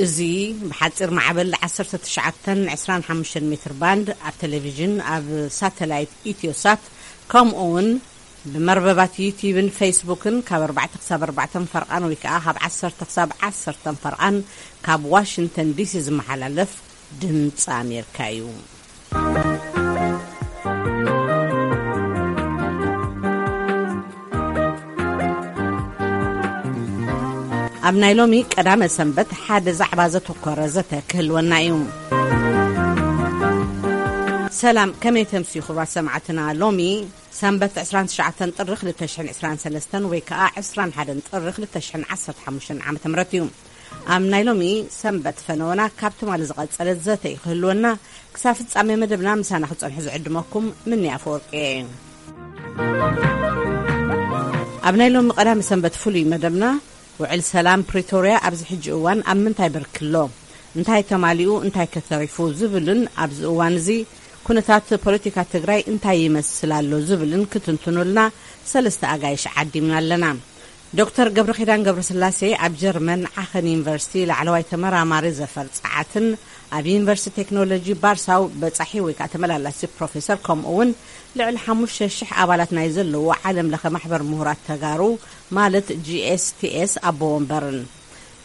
እዚ ብሓፂር ማዕበል ዓሰርተ ትሽዓተን ዕስራን ሓሙሽተን ሜትር ባንድ ኣብ ቴሌቪዥን፣ ኣብ ሳተላይት ኢትዮሳት፣ ከምኡ እውን ብመርበባት ዩቲዩብን ፌስቡክን ካብ ኣርባዕተ ክሳብ ኣርባዕተ ፈርቓን ወይ ከዓ ካብ ዓሰርተ ክሳብ ዓሰርተ ፈርቓን ካብ ዋሽንግተን ዲሲ ዝመሓላለፍ ድምፂ ኣሜሪካ እዩ። ኣብ ናይ ሎሚ ቀዳመ ሰንበት ሓደ ዛዕባ ዘተኮረ ዘተ ክህልወና እዩ። ሰላም፣ ከመይ ተምስዩ ክቡራት ሰማዕትና? ሎሚ ሰንበት ዕስራን ትሽዓተን ጥሪ ክልተ ሽሕን ዕስራን ሰለስተን ወይ ከዓ ዕስራን ሓደን ጥሪ ክልተ ሽሕን ዓሰርተ ሓሙሽተን ዓመተ ምህረት እዩ። ኣብ ናይ ሎሚ ሰንበት ፈነወና ካብ ትማሊ ዝቐጸለ ዘተ እዩ ክህልወና። ክሳብ ፍጻሜ መደብና ምሳና ክጸንሑ ዝዕድመኩም ምንያ ኣፈወርቂ እየ። ኣብ ናይ ሎሚ ቀዳሚ ሰንበት ፍሉይ መደብና፣ ውዕል ሰላም ፕሪቶርያ ኣብዚ ሕጂ እዋን ኣብ ምንታይ ብርኪ ኣሎ? እንታይ ተማሊኡ እንታይ ከተሪፉ ዝብልን ኣብዚ እዋን እዚ ኩነታት ፖለቲካ ትግራይ እንታይ ይመስል ኣሎ ዝብልን ክትንትኑልና ሰለስተ ኣጋይሽ ዓዲምና ኣለና። ዶክተር ገብረኪዳን ገብረስላሴ ኣብ ጀርመን ዓኸን ዩኒቨርሲቲ ላዕለዋይ ተመራማሪ ዘፈር ጸዓትን ኣብ ዩኒቨርሲቲ ቴክኖሎጂ ባርሳው በጻሒ ወይ ከዓ ተመላላሲ ፕሮፌሰር፣ ከምኡ እውን ልዕሊ ሓሙሽተ ሽሕ ኣባላት ናይ ዘለዎ ዓለም ለኸ ማሕበር ምሁራት ተጋሩ ማለት ጂ ኤስ ቲ ኤስ ኣቦ ወንበርን።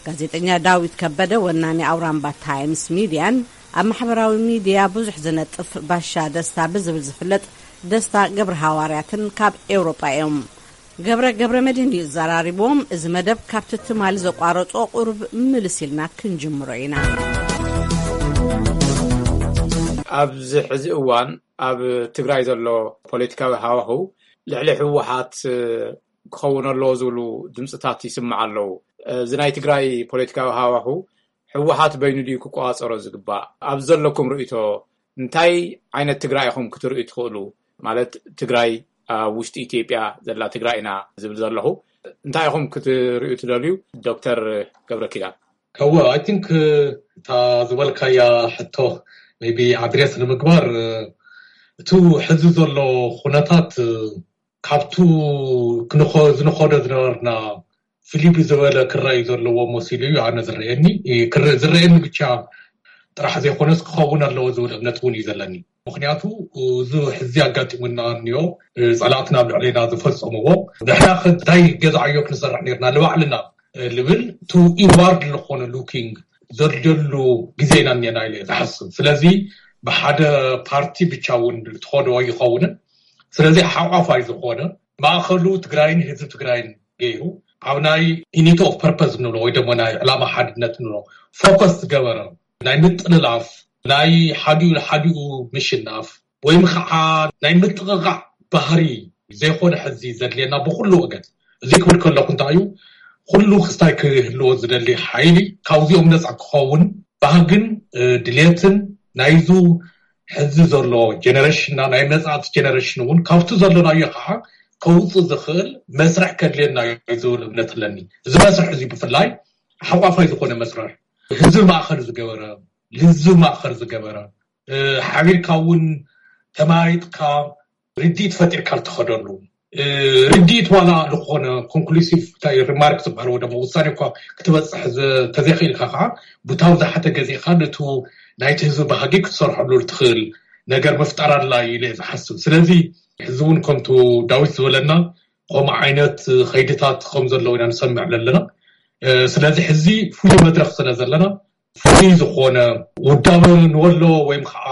ጋዜጠኛ ዳዊት ከበደ ወናኒ ኣውራምባ ታይምስ ሚድያን ኣብ ማሕበራዊ ሚድያ ብዙሕ ዝነጥፍ ባሻ ደስታ ብዝብል ዝፍለጥ ደስታ ገብረ ሃዋርያትን ካብ ኤውሮጳ እዮም። ገብረ ገብረ መድህን እዩ ዘራሪቦም። እዚ መደብ ካብቲ ትማሊ ዘቋረጾ ቁሩብ ምልስ ኢልና ክንጅምሮ ኢና። ኣብዚ ሕዚ እዋን ኣብ ትግራይ ዘሎ ፖለቲካዊ ሃዋሁ ልዕሊ ህወሓት ክኸውን ኣለዎ ዝብሉ ድምፅታት ይስማዕ ኣለዉ። እዚ ናይ ትግራይ ፖለቲካዊ ሃዋሁ ህወሓት በይኑ ድዩ ክቆፃፀሮ ዝግባእ? ኣብ ዘለኩም ርእይቶ እንታይ ዓይነት ትግራይ ኢኹም ክትርእዩ ትኽእሉ? ማለት ትግራይ ኣብ ውሽጢ ኢትዮጵያ ዘላ ትግራይ ኢና ዝብል ዘለኹ። እንታይ ኢኹም ክትርእዩ ትደልዩ? ዶክተር ገብረ ኪዳን። ከወ፣ I think፣ እታ ዝበልካያ ሕቶ maybe ኣድሬስ ንምግባር፣ እቲ ሕዚ ዘሎ ኩነታት ካብቱ ክንኸ-፣ ዝንኸዶ ዝነበርና ፍልይ ዝበለ ክረኣዩ ዘለዎ መሲሉ እዩ ኣነ ዝረኣየኒ። ክረ-፣ ዝረኣየኒ ብቻ ጥራሕ ዘይኮነስ ክኸውን ኣለዎ ዝብል እምነት እውን እዩ ዘለኒ። ምኽንያቱ እዚ ሕዚ ኣጋጢሙና እኒኦ፣ ጸላእትና ኣብ ልዕሌና ዝፈጸምዎ፣ ንሕና ከ እንታይ ገዛ ዕዮ ክንሰርሕ ነርና ንባዕልና ልብል፣ to inward ዝኾነ looking ዘድልየሉ ግዜ ኢና እኒአና ኢለ እየ ዝሓስብ። ስለዚ ብሓደ ፓርቲ ብቻ እውን ትኸዶ ኣይኸውንን። ስለዚ ሓቋፋይ ዝኾነ ማእኸሉ ትግራይን ህዝቢ ትግራይን ገይሩ ኣብ ናይ unity of purpose ንብሎ ወይ ደሞ ናይ ዕላማ ሓድነት ንብሎ ፎከስ ዝገበረ ናይ ምጥልላፍ፣ ናይ ሓዲኡ ንሓዲኡ ምሽናፍ ወይም ከዓ ናይ ምጥቕቓዕ ባህሪ ዘይኮነ ሕዚ ዘድልየና ብኩሉ ወገን። እዚ ክብል ከለኹ እንታይ እዩ፣ ኩሉ ክስታይ ክህልዎ ዝደሊ ሓይሊ ካብዚኦም ነፃ ክኸውን ባህግን፣ እ፣ ድሌትን ናይዙ ሕዚ ዘሎ ጀነሬሽንና ናይ መጻእቲ ጀነሬሽን እውን ካብቲ ዘለናዮ ከዓ ከውፅእ ዝኽእል መስርሕ ከድልየና እዩ ዝብል እምነት ኣለኒ። እዚ መስርሕ እዚ ብፍላይ ሓቋፋይ ዝኾነ መስርሕ፣ ህዝቢ ማእኸል ዝገበረ፣ ህዝቢ ማእኸል ዝገበረ፣ እ፣ ሓቢርካ እውን ተመያይጥካ ርድኢት ፈጢርካ እትኸደሉ፣ እ፣ ርድኢት ዋላ ዝኾነ ኮንክሉሲቭ እንታይ ሪማርክ ዝበሃል ወይ ደሞ ውሳኔ እኳ ክትበፅሕ ዘ-፣ ተዘይኽእልካ ከዓ ብታው ዝሓተ ገዚእካ ነቱ ናይቲ ህዝቢ ባህጊ ክትሰርሐሉ ትኽእል ነገር ምፍጣር ኣድላይ ኢለ እየ ዝሓስብ። ስለዚ ሕዚ እውን ከምቱ ዳዊት ዝበለና ከምኡ ዓይነት ኸይድታት ከም ዘለዉ ኢና ንሰምዕ ዘለና። እ፣ ስለዚ ሕዚ ፍሉይ መድረኽ ስለ ዘለና ፍሉይ ዝኾነ ውዳበ ንወሎ ወይም ከዓ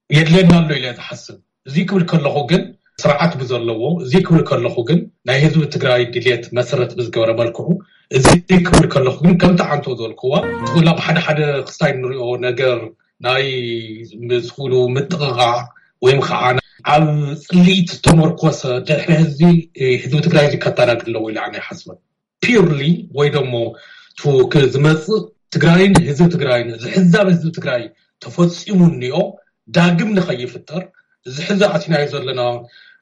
የድለየና ኣሎ ኢለ ዝሓስብ። እዚ ክብል ከለኹ ግን ስርዓት ብዘለዎ፣ እዚ ክብል ከለኹ ግን ናይ ህዝቢ ትግራይ ድልየት መሰረት ብዝገበረ መልክዑ፣ እዚ ክብል ከለኹ ግን ከምቲ ዓንቶ ዝበልክዋ፣ ትኹላ ብሓደ ሓደ ክስታይ ንሪኦ ነገር ናይ ምስ ኩሉ ምጥቕቓዕ ወይም ከዓ ኣብ ፅልኢት ዝተመርኮሰ ድሕሪ ህዝቢ፣ ህዝቢ ትግራይ እዚ ከታናግድ ኣለዎ ኢለ ኣነ ይሓስበን። ፒርሊ ወይ ደሞ ቱ-፣ ክ-፣ ዝመጽእ ትግራይን ህዝቢ ትግራይን፣ እዚ ሕዛብ ህዝቢ ትግራይ ተፈጺሙ እኒኦ ዳግም ንኸይፍጠር፣ እዚ ሕዚ ኣቲናዮ ዘለና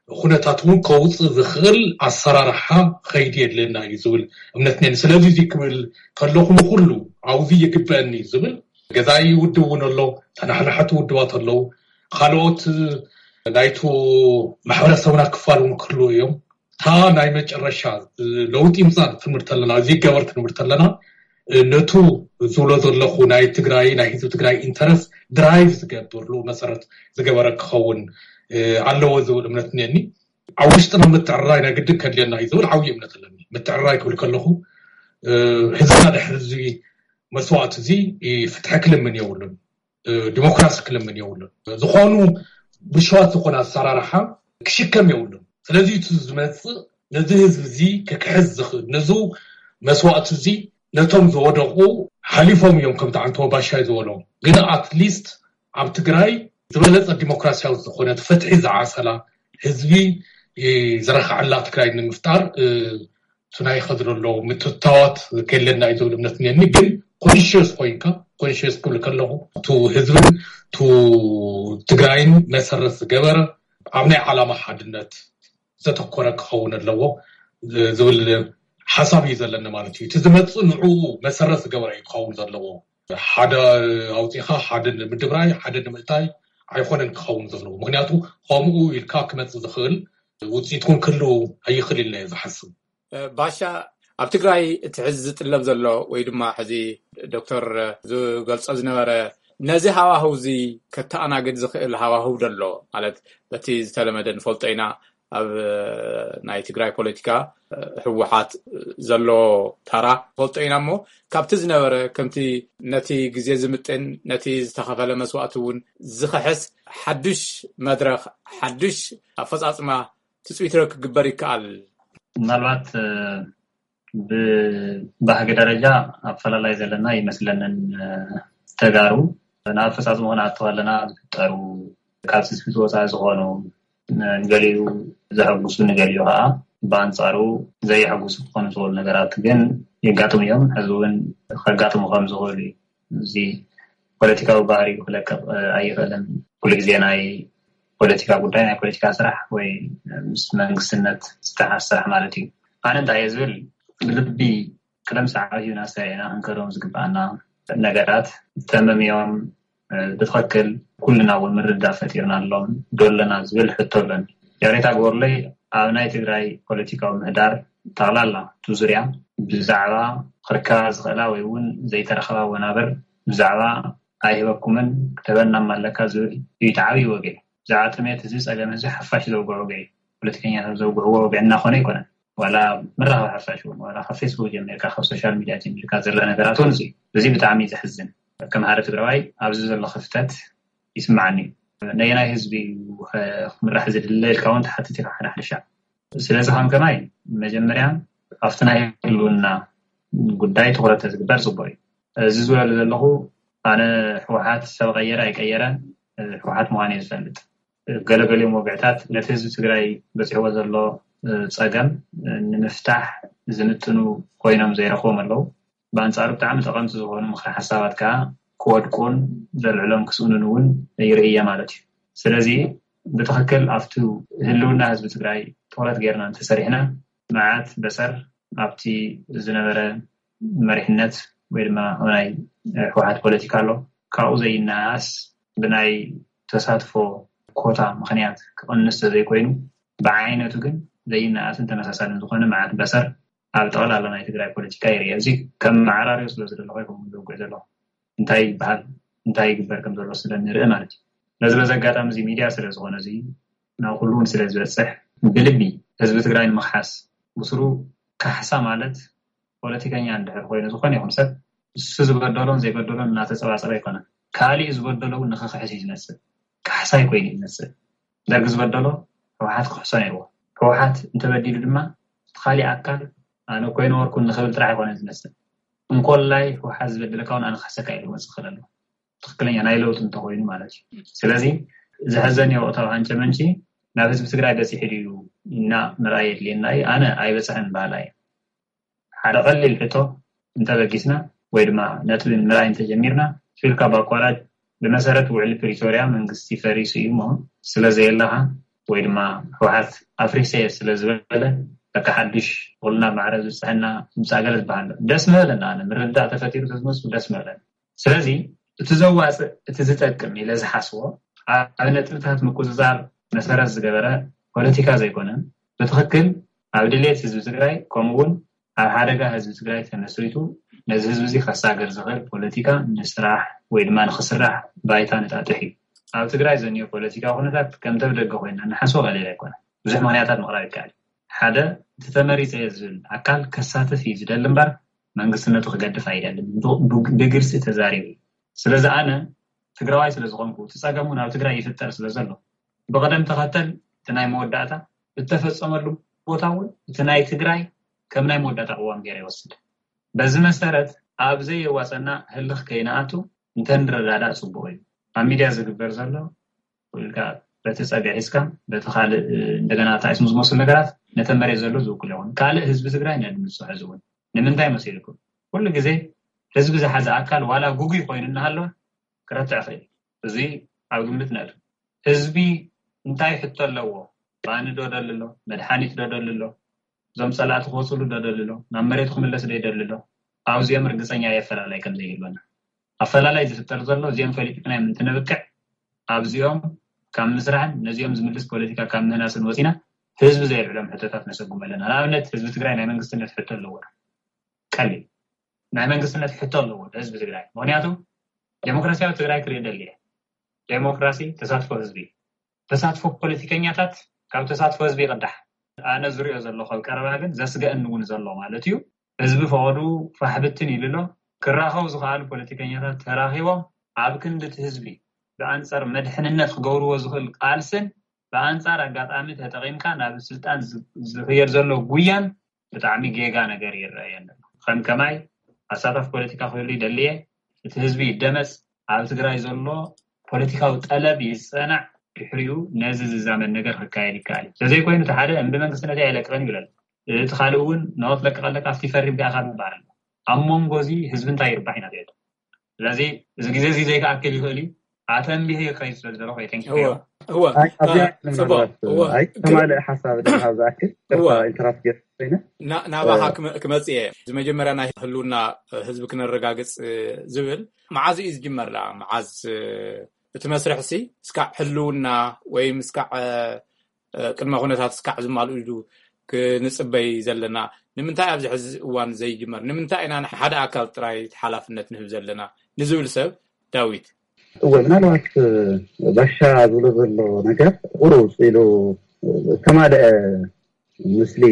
ኩነታት እውን ከውፅእ ዝኽእል ኣሰራርሓ ኸይዲ የድልየና እዩ ዝብል እምነት እኒአኒ። ስለዚ እዚ ክብል ከለኹ ንኹሉ ኣብዚ ይግበአኒ እዩ ዝብል ገዛኢ ውድብ እውን ኣሎ፣ ተናሓናሓቲ ውድባት ኣለዉ፣ ካልኦት ናይቱ ማሕበረሰብና ክፋል እውን ክህልዉ እዮም። እታ ናይ መጨረሻ ለውጢ ምፃእ ክንብል ተለና፣ እዚ ገበር ክንብል ተለና፣ ነቱ ዝብሎ ዘለኹ ናይ ትግራይ ናይ ህዝቢ ትግራይ ኢንተረስት ድራይቭ ዝገብር መሰረት ዝገበረ ክኸውን ኣለዎ ዝብል እምነት እኒአኒ። ኣብ ውሽጥና ምትዕርራይ ናይ ግድን ከድልየና እዩ ዝብል ዓብዪ እምነት ኣለኒ። ምትዕርራይ ክብል ከለኹ ህዝብና ድሕሪ እዚ መስዋእቲ እዚ ፍትሒ ክልምን የብሉን፣ ዲሞክራሲ ክልምን የብሉን። ዝኾኑ ብልሽዋት ዝኾነ ኣሰራርሓ ክሽከም የብሉን። ስለዚ እቲ ዝመፅእ ነዚ ህዝቢ እዚ ክክሕስ ዝኽእል ነዚ መስዋእቲ እዚ ነቶም ዝወደቑ ሓሊፎም እዮም። ከምቲ ዓንተቦ ባሻይ ዝበሎ ግን ኣትሊስት ኣብ ትግራይ ዝበለፀ ዲሞክራሲያዊ ዝኾነት ፍትሒ ዝዓሰላ ህዝቢ ዝረክዐላ ትግራይ ንምፍጣር እቲ ናይ ከድሮ ኣለዉ ምትታዋት ከለና እዩ ዝብል እምነት እኒአኒ። ግን ኮንሽስ ኮይንካ ኮንሽስ ክብል ከለኹ ቱ ህዝብን ቱ ትግራይን መሰረት ዝገበረ ኣብ ናይ ዓላማ ሓድነት ዘተኮረ ክኸውን ኣለዎ ዝብል ሓሳብ እዩ ዘለኒ ማለት እዩ። እቲ ዝመፅእ ንዕኡ መሰረት ዝገበረ እዩ ክኸውን ዘለዎ። ሓደ ኣውፂኻ ሓደ ንምድብራይ ሓደ ንምእታይ ኣይኮነን ክኸውን ዘለዎ። ምክንያቱ ከምኡ ኢልካ ክመፅእ ዝኽእል ውፅኢት እውን ክህልው ኣይኽእል ኢልና እየ ዝሓስብ። ባሻ፣ ኣብ ትግራይ እቲ ሕዚ ዝጥለብ ዘሎ ወይ ድማ ሕዚ ዶክተር ዝገልጾ ዝነበረ ነዚ ሃዋህው እዚ ከተኣናግድ ዝኽእል ሃዋህው ደሎ ማለት በቲ ዝተለመደ ንፈልጦ ኢና ኣብ ናይ ትግራይ ፖለቲካ ህወሓት ዘሎ ታራ ፈልጦ ኢና እሞ ካብቲ ዝነበረ ከምቲ ነቲ ግዜ ዝምጥን ነቲ ዝተኸፈለ መስዋእቲ እውን ዝኸሕስ ሓዱሽ መድረኽ ሓዱሽ ኣፈፃፅማ ትፅቢት ክግበር ይከኣል። ምናልባት ብባህጊ ደረጃ ኣፈላላይ ዘለና ይመስለንን ተጋሩ ናብ ኣፈፃፅማ ክንኣተው ኣለና ዝፍጠሩ ካብ ትፅቢት ወፃኢ ዝኾኑ ንገሊኡ ዘሐጉሱ ንገሊኡ ከዓ ብኣንፃሩ ዘየሐጉሱ ክኾኑ ዝኽእሉ ነገራት ግን የጋጥሙ እዮም። ሕዚ እውን ከጋጥሙ ከም ዝኽእሉ እዩ። እዚ ፖለቲካዊ ባህሪኡ ክለቅቕ ኣይኽእልን። ኩሉ ግዜ ናይ ፖለቲካ ጉዳይ ናይ ፖለቲካ ስራሕ ወይ ምስ መንግስትነት ዝተሓዝ ስራሕ ማለት እዩ። ኣነ እንታይ እየ ዝብል ብልቢ ቅደም ሰዓት እዩ ናሰሪዕና ክንከዶም ዝግብኣና ነገራት ተመምዮም ብትኽክል ኩልና እውን ምርዳእ ፈጢርና ኣሎም ዶ ኣለና ዝብል ሕቶ ኣሎኒ። ይቕሬታ ግበሩለይ ኣብ ናይ ትግራይ ፖለቲካዊ ምህዳር ጠቕላላ እቲ ዙርያ ብዛዕባ ክርከባ ዝኽእላ ወይ እውን ዘይተረኸባ ወናብር ብዛዕባ ኣይህበኩምን ክተበናም ኣለካ ዝብል እዩ እቲ ዓብዪ ወግዒ። ብዛዕባ ጥሜት እዚ ፀገም እዚ ሓፋሽ ዘውግዖ ወግዒ እዩ። ፖለቲከኛታት ዘውግዕዎ ወግዒ እናኾነ ኣይኮነን። ዋላ መራኸቢ ሓፋሽ እውን ዋላ ካብ ፌስቡክ ጀሚርካ ካብ ሶሻል ሚድያ ጀሚርካ ዘሎ ነገራት እውን እዚ እዩ። እዚ ብጣዕሚ እዩ ዘሕዝን። ከም ሓደ ትግራዋይ ኣብዚ ዘሎ ክፍተት ይስማዓኒ እዩ። ነየናይ ህዝቢ እዩ ክምራሕ ዝድለ ኢልካ እውን ትሓትት ኢኻ ሓደ ሓደ ሻዕ። ስለዚ ከም ከማይ መጀመርያ ኣብቲ ናይ ህልውና ጉዳይ ትኹረት ተዝግበር ፅቡቅ እዩ። እዚ ዝበሉ ዘለኹ ኣነ ህወሓት ሰብ ቀየረ ኣይቀየረ ህወሓት ምዃኑ እየ ዝፈልጥ። ገለገሊኦም ወግዕታት ነቲ ህዝቢ ትግራይ በፂሕዎ ዘሎ ፀገም ንምፍታሕ ዝምጥኑ ኮይኖም ዘይረኽቦም ኣለዉ። ብኣንፃሩ ብጣዕሚ ጠቐምቲ ዝኾኑ ምኽሪ ሓሳባት ከዓ ክወድቁን ዘልዕሎም ክስእኑን እውን ይርእየ ማለት እዩ። ስለዚ ብትኽክል ኣብቲ ህልውና ህዝቢ ትግራይ ትኹረት ጌርና እንተሰሪሕና መዓት በሰር ኣብቲ ዝነበረ መሪሕነት ወይ ድማ ናይ ህወሓት ፖለቲካ ኣሎ ካብኡ ዘይነኣስ ብናይ ተሳትፎ ኮታ ምኽንያት ክቕንስ ተዘይኮይኑ ብዓይነቱ ግን ዘይነኣስን ተመሳሳልን ዝኾነ መዓት በሰር ኣብ ጠቕላላ ናይ ትግራይ ፖለቲካ ይርአ። እዚ ከም መዓራርዮ ስለ ዝደለኹ ይኸውን ዘውግዕ ዘለኹ እንታይ ይበሃል እንታይ ይግበር ከም ዘሎ ስለ ንርኢ ማለት እዩ። ነዚ በዚ ኣጋጣሚ እዚ ሚድያ ስለ ዝኾነ እዚ ናብ ኩሉ እውን ስለ ዝበፅሕ ብልቢ ህዝቢ ትግራይ ንምኽሓስ ብስሩ ካሕሳ ማለት ፖለቲከኛ እንድሕር ኮይኑ ዝኾነ ይኹን ሰብ እሱ ዝበደሎን ዘይበደሎን እናተፀባፀበ ኣይኮነን። ካሊእ ዝበደሎ እውን ንክኽሕስ እዩ ዝመስል። ካሕሳይ ኮይኑ እዩ ዝመስል። ደርጊ ዝበደሎ ህወሓት ክሕሶ ነይርዎ። ህወሓት እንተበዲሉ ድማ እቲ ካሊእ ኣካል ኣነ እኮ ኣይነበርኩን ንክብል ጥራሕ ኣይኮነን ዝመስል። እንኮላይ ህወሓት ዝበደለካ እውን ኣነ ክሕሰካ ኢሉ ክመፅእ ይኽእል ኣሎ። ትኽክለኛ ናይ ለውጢ እንተኾይኑ ማለት እዩ። ስለዚ ዘሕዘኒ ወቅታዊ ሃንጨ መንጪ ናብ ህዝቢ ትግራይ በፂሑ ድዩ እና ምርኣይ የድልየና እዩ። ኣነ ኣይበፅሐን በሃላይ እየ። ሓደ ቀሊል ሕቶ እንተበጊስና ወይ ድማ ነጥቢ ምርኣይ እንተጀሚርና ፊልካ ብኣቋራጭ ብመሰረት ውዕሊ ፕሪቶርያ መንግስቲ ፈሪሱ እዩ እሞ ስለ ዘየለኻ ወይ ድማ ህወሓት ኣፍሪሰ እየ ስለ ዝበለ በቃ ሓዱሽ ኩልና ማዕረ ዝብፅሐና ምፃእ ገለ ዝበሃል ኣሎ። ደስ ምበለና ኣነ ምርዳእ ተፈጢሩ ተዝመስሉ ደስ ምበለና። ስለዚ እቲ ዘዋፅእ እቲ ዝጠቅም ኢለ ዝሓስቦ ኣብ ነጥብታት ምቁፅፃር መሰረት ዝገበረ ፖለቲካ ዘይኮነ ብትኽክል ኣብ ድሌት ህዝቢ ትግራይ ከምኡ እውን ኣብ ሓደጋ ህዝቢ ትግራይ ተመስሪቱ ነዚ ህዝቢ እዚ ከሳገር ዝኽእል ፖለቲካ ንስራሕ ወይ ድማ ንኽስራሕ ባይታ ንጣጥሕ እዩ። ኣብ ትግራይ ዘንዮ ፖለቲካዊ ኩነታት ከምተ ብደገ ኮይና ንሓስቦ ቀሊል ኣይኮነ። ብዙሕ ምኽንያታት ምቕራብ ይከኣል። ሓደ፣ እቲ ተመሪፀ ዝብል ኣካል ከሳትፍ እዩ ዝደሊ እምበር መንግስትነቱ ክገድፍ ኣይደልን። ብግልፂ ተዛሪቡ። ስለዚ ኣነ ትግራዋይ ስለዝኾንኩ እቲ ፀገም እውን ኣብ ትግራይ ይፍጠር ስለዘሎ ብቐደም ተኸተል እቲ ናይ መወዳእታ እተፈፀመሉ ቦታ እውን እቲ ናይ ትግራይ ከም ናይ መወዳእታ ቅዋም ገይረ ይወስድ። በዚ መሰረት ኣብ ዘየዋፀና ህልኽ ከይንኣቱ እንተንረዳዳእ ፅቡቅ እዩ። ኣብ ሚድያ ዝግበር ዘሎ ኢልካ በቲ ፀግዒ ሒዝካ በቲ ካልእ እንደገና ጣይስም ዝመስሉ ነገራት ነተ መሬት ዘሎ ዝውክል ይኹን ካልእ ህዝቢ ትግራይ ነድምፅሖ ዝውን ንምንታይ መሲልኩም? ኩሉ ግዜ ህዝቢ ዝሓዘ ኣካል ዋላ ጉጉይ ኮይኑ እናሃለወ ክረትዕ ይኽእል። እዚ ኣብ ግምት ነእቱ። ህዝቢ እንታይ ሕቶ ኣለዎ? ባኒ ዶ ደሊ ኣሎ? መድሓኒት ዶ ደሊ ኣሎ? እዞም ፀላእቲ ክወፅሉ ዶ ደሊ ኣሎ? ናብ መሬቱ ክምለስ ዶ ይደሊ ኣሎ? ኣብዚኦም ርግፀኛ የፈላላይ ከም ዘይህልወና ኣፈላላይ ዝፍጠር ዘሎ እዚኦም ፈሊጥና እዮም እንትንብቅዕ ኣብዚኦም ካብ ምስራሕን ነዚኦም ዝምልስ ፖለቲካ ካብ ምህናስን ወፂና ህዝቢ ዘይልዕሎም ሕቶታት ነሰጉም ኣለና። ንኣብነት ህዝቢ ትግራይ ናይ መንግስትነት ሕቶ ኣለዎ። ቀሊል ናይ መንግስትነት ሕቶ ኣለዎ ህዝቢ ትግራይ። ምክንያቱ ዴሞክራሲያዊ ትግራይ ክርኢ ደሊ እየ። ዴሞክራሲ ተሳትፎ ህዝቢ ተሳትፎ ፖለቲከኛታት ካብ ተሳትፎ ህዝቢ ይቕዳሕ። ኣነ ዝሪኦ ዘለኹ ኣብ ቀረባ ግን ዘስገእኒ እውን ዘሎ ማለት እዩ። ህዝቢ ፈቐዱ ፋሕብትን ኢሉ ኣሎ። ክራኸቡ ዝኸኣሉ ፖለቲከኛታት ተራኺቦም ኣብ ክንዲ እቲ ህዝቢ ብኣንፃር መድሕንነት ክገብርዎ ዝኽእል ቃልስን ብኣንፃር ኣጋጣሚ ተጠቒምካ ናብ ስልጣን ዝኽየድ ዘሎ ጉያን ብጣዕሚ ጌጋ ነገር ይረኣየኒ ኣሎ። ከም ከማይ ኣሳታፍ ፖለቲካ ክህሉ ይደልየ። እቲ ህዝቢ ይደመፅ። ኣብ ትግራይ ዘሎ ፖለቲካዊ ጠለብ ይፀናዕ። ድሕሪኡ ነዚ ዝዛመድ ነገር ክካየድ ይከኣል እዩ። ስለዘይኮይኑ እቲ ሓደ እምቢ መንግስትነት ኣይለቅቕን ይብለል። እቲ ካልእ እውን ናወት ለቅቕ ኣለካ ኣብቲ ፈሪም ዳኣኻ ዝበሃል ኣሎ። ኣብ መንጎ እዚ ህዝቢ እንታይ ይርባሕ ኢና ትብል። ስለዚ እዚ ግዜ እዚ ዘይከኣክል ይኽእል እዩ። ኣተንቢህ ይኸይድ ስለ ዝደለኹ እየ። Thank you። እወ፣ እወ። ኣይ፣ ኣብዚኣ እ፣ ጽቡቕ፣ ምናልባት፣ እወ። ኣይ፣ ግ- ከማልእ ሓሳብ ድማ ዝኣክል፣ እወ። ቅርታ ኢንተራፕት ገይረ ኮይነ። ና-፣ ናባኻ እ፣ ክመ-፣ ክመጽእ እየ። እዚ መጀመርያ ናይ ህልውና ህዝቢ ክነረጋግጽ ዝብል መዓዝ እዩ ዝጅመር ደኣ? መዓዝ እቲ መስርሕሲ እስካዕ ህልውና ወይ ምስካዕ እ፣ ቅድመ ኩነታት እስካዕ ዝማልኡ ኢሉ ክንጽበይ ዘለና? ንምንታይ ኣብዚ ሕዚ እዋን ዘይጅመር? ንምንታይ ኢና ንሓደ ኣካል ጥራይ ሓላፍነት ንህብ ዘለና ንዝብል ሰብ ዳዊት? እወ፣ ምናልባት፣ እ፣ ባሻ ዝብሎ ዘሎ ነገር ቁሩብ ኢሉ ዝተማልአ ምስሊ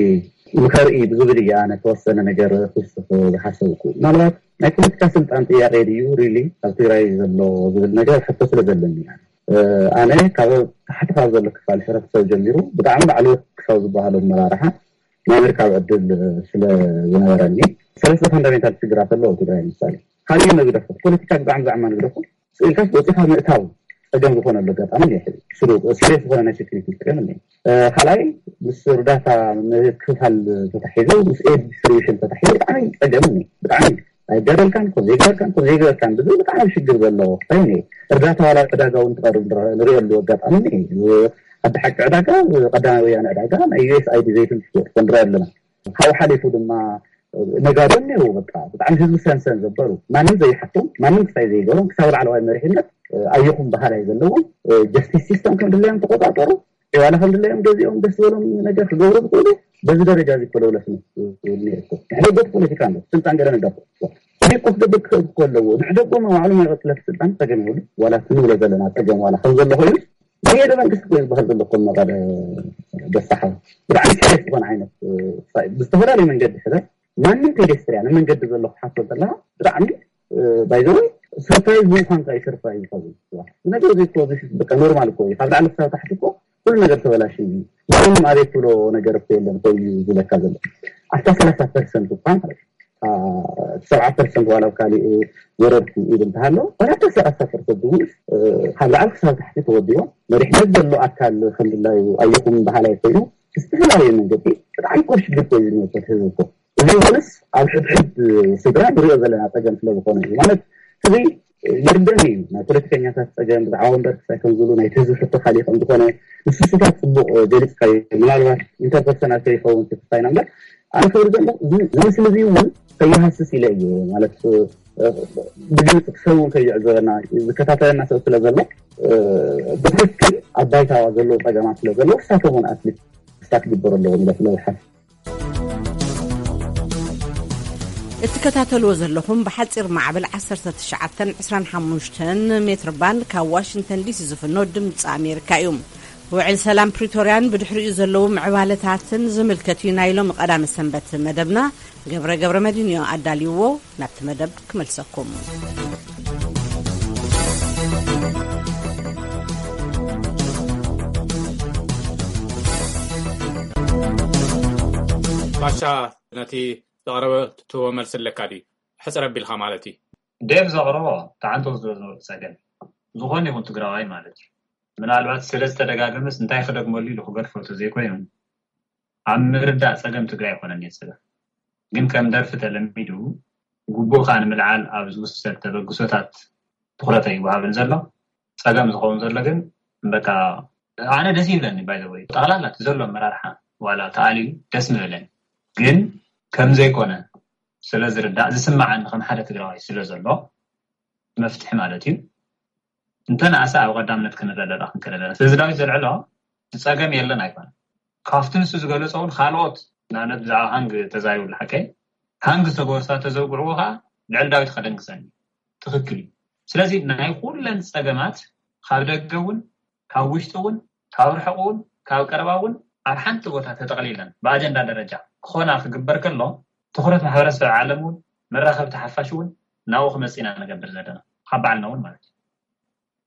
ንኸርኢ ብዝብል እዩ ኣነ ተወሰነ ነገር ክውስኽ ዝሓሰብኩ። ምናልባት ናይ ፖለቲካ ስልጣን ጥያቄ ድዩ ሪሊ ኣብ ትግራይ ዘሎ ዝብል ነገር ሕቶ ስለ ዘለኒ እያ። እ፣ ኣነ ካብ ታሕቲ ካብ ዘሎ ክፋል ሕብረተሰብ ጀሚሩ ብጣዕሚ ላዕለዎት ክሳብ ዝበሃሉ ኣመራርሓ ናይ ምርካብ ዕድል ስለ ዝነበረኒ ሰለስተ ፋንዳሜንታል ሽግራት ኣለዎ ኣብ ትግራይ። ምሳሌ ካልእ መግደፎ ፖለቲካ ብጣዕሚ ዛዕማ ንግደፎ ስኢልካስ ወፂኻ ምእታው ፀገም ዝኾነሉ ኣጋጣሚ እኒኦ። ሕዚ ስሩ ሲሪየስ ዝኾነ ናይ ሴኩሪቲ ፀገም እኒኦ። እ፣ ካልኣይ ምስ እርዳታ ምክፍፋል ተታሒዙ ምስ ኤድ ዲስትሪቢሽን ተታሒዙ ብጣዕሚ ፀገም እኒኦ። ብጣዕሚ ኣይጋደልካን ከም ዘይጋደልካን ከም ዘይገበርካን ብዙ ብጣዕሚ ሽግር ዘለዎ ኮይኑ እዩ። እርዳታ ዋላ ዕዳጋ እውን ትቐርብ ንረ-፣ ንሪኦ ኣለዎ ኣጋጣሚ እዩ። ዓዲ ሓቂ ዕዳጋ፣ ቀዳማይ ወያነ ዕዳጋ ናይ ዩ ኤስ ኣይ ዲ ዘይትን ትሽወጥ ንሪኦ ኣለና። ካብኡ ሓሊፉ ድማ ነጋዶ እኒው በቃ ብጣዕሚ ህዝቢ ሰንሰን ዘበሩ ማንም ዘይሓቶም ማንም ክሳይ ዘይገሮም ክሳብ ላዕለዋይ መሪሕነት ኣየኹም ባህላይ ዘለዎም ጀስቲስ ሲስተም ከም ድለዮም ተቆጣጠሩ ዋላ ከም ድለዮም ገዚኦም ደስ ዝበሎም ነገር ክገብሩ ዝኽእሉ በዚ ደረጃ እዚ ኮለውለፍነት ነርኩ ንሕደጎት ፖለቲካ ነ ስልጣን ገለ ንደኩ እዚ ኮፍ ደብር ክኽእል ከለዎ ንሕደጎ መባዕሉ ናይ ቅጥለት ስልጣን ፀገም ይብሉ ዋላ ክንብሎ ዘለና ፀገም ዋላ ከም ዘሎ ኮይኑ ናይ ሓደ መንግስቲ እኮ ዝበሃል ዘሎ እኮ መቐለ በሳሓ ብጣዕሚ ሲሪየስ ዝኾነ ዓይነት እ፣ ፋይት ብዝተፈላለዩ መንገዲ ሕዘ ማንም ፔደስትሪያ ንመንገዲ ዘሎ ክሓቶ ዘለካ ብጣዕሚ ባይዘወይ ሰርፕራይዝ ምዃንካ እዩ ሰርፕራይዝ ይኸውን። ነገር እዚ እኮ this is በቃ ኖርማል እኮ እዩ። ካብ ላዕሊ ክሳብ ታሕቲ እኮ ኩሉ ነገር ተበላሽ እዩ። ማንም ኣቤት ብሎ ነገር እኮ የለን እኮ እዩ ዝብለካ ዘሎ። ኣስታ ሰላሳ ፐርሰንት እኳ ማለት እዩ። ሰብዓ ፐርሰንት ዋላ ኣብ ካሊእ ወረድኩ ኢሉ እንተሃሎ ዋላ ኣስታ ሰላሳ ፐርሰንት እውን ካብ ላዕሊ ክሳብ ታሕቲ ተወዲቦም መሪሕነት ዘሎ ኣካል ከምድላዩ ኣየኹም በሃላይ ኮይኑ ዝተፈላለዩ መንገዲ ብጣዕሚ እኮ ሽግር እኮ እዩ ዝመፀት ህዝቢ እኮ እዚ ይኹንስ ኣብ ሕድሕድ ስድራ ንሪኦ ዘለና ፀገም ስለ ዝኾነ እዩ ማለት እዚ ይርደም እዩ ናይ ፖለቲከኛታት ፀገም ብዛዕባ ወንበር ክሳይ ከም ዝብሉ ናይቲ ህዝቢ ሕቶ ካሊእ ከም ዝኾነ ንስስታት ፅቡቅ ገሊፅካዮ ምናልባት ኢንተርፐርሰናል ከይኸውን ክስታይና እምበር ኣነ ክብል ዘሎ እዚ እዚ ምስሊ እዚ እውን ከይሃስስ ኢለ እዩ ማለት ብግልፂ ክሰብ እውን ከይዕዘበና ዝከታተለና ሰብ ስለ ዘሎ ብትክክል ኣብ ባይታ ዘለዎ ፀገማት ስለ ዘለዎ ክሳቶም እውን ኣትሊት ክስታት ክግበሩ ኣለዎም ኢለ ስለ ዝሓስብ እትከታተልዎ ዘለኹም ብሓጺር ማዕበል ዓሰርተ ትሽዓተ ዕስራን ሓሙሽተን ሜትር ባንድ ካብ ዋሽንግተን ዲሲ ዝፍኖ ድምፂ ኣሜሪካ እዩ። ውዕል ሰላም ፕሪቶርያን ብድሕሪኡ ዘለዉ ምዕባለታትን ዝምልከት እዩ ናይ ሎሚ ቀዳመ ሰንበት መደብና። ገብረ ገብረ መድህን እዩ ኣዳልይዎ። ናብቲ መደብ ክመልሰኩም። ባሻ፣ ነቲ ዝቐረበ ትህቦ መልሲ ኣለካ ድዩ? ሕፅር ኣቢልካ ማለት እዩ። ዴቭ ዘቕረቦ ተዓንቶ ዝዘዝበሉ ፀገም ዝኾነ ይኹን ትግራዋይ ማለት እዩ። ምናልባት ስለ ዝተደጋገመስ እንታይ ክደግመሉ ኢሉ ክገድፎ ተዘይኮይኑ፣ ኣብ ምርዳእ ፀገም ትግራይ ኣይኮነን የፅበ። ግን ከም ደርፊ ተለሚዱ፣ ግቡእካ ንምልዓል ኣብ ዝውሰድ ተበግሶታት ትኹረት ኣይወሃብን ዘሎ። ፀገም ዝኸውን ዘሎ ግን በቃ ኣነ ደስ ይብለኒ። ባይ ዘ ወይ ጠቕላላ እቲ ዘሎ ኣመራርሓ ዋላ ተኣልዩ ደስ ምበለኒ፣ ግን ከም ዘይኮነ ስለ ዝርዳእ ዝስማዓኒ ከም ሓደ ትግራዋይ ስለ ዘሎ፣ መፍትሒ ማለት እዩ። እንተ ንኣሰ ኣብ ቀዳምነት ክንረዳዳ ክንክእል ኣለና። ስለዚ ዳዊት ዘልዕሎ ጸገም የለን ኣይኮነ። ካብቲ ንሱ ዝገለጾ እውን ካልኦት፣ ንኣብነት ብዛዕባ ሃንግ ተዛሪቡ ሓቀይ፣ ሃንግ ዝተገበርሳ ተዘውግዕዎ ከዓ ልዕሊ ዳዊት ከደንግጸኒ ትኽክል እዩ። ስለዚ ናይ ኩለን ጸገማት ካብ ደገ እውን፣ ካብ ውሽጢ እውን፣ ካብ ርሕቕ እውን፣ ካብ ቀረባ እውን ኣብ ሓንቲ ቦታ ተጠቕሊለን ብኣጀንዳ ደረጃ ክኾና ክግበር ከሎ፣ ትኹረት ማሕበረሰብ ዓለም እውን፣ መራኸብቲ ሓፋሽ እውን ናብኡ ክመፅእ ኢና ንገብር ዘለና፣ ካብ ባዕልና እውን ማለት እዩ።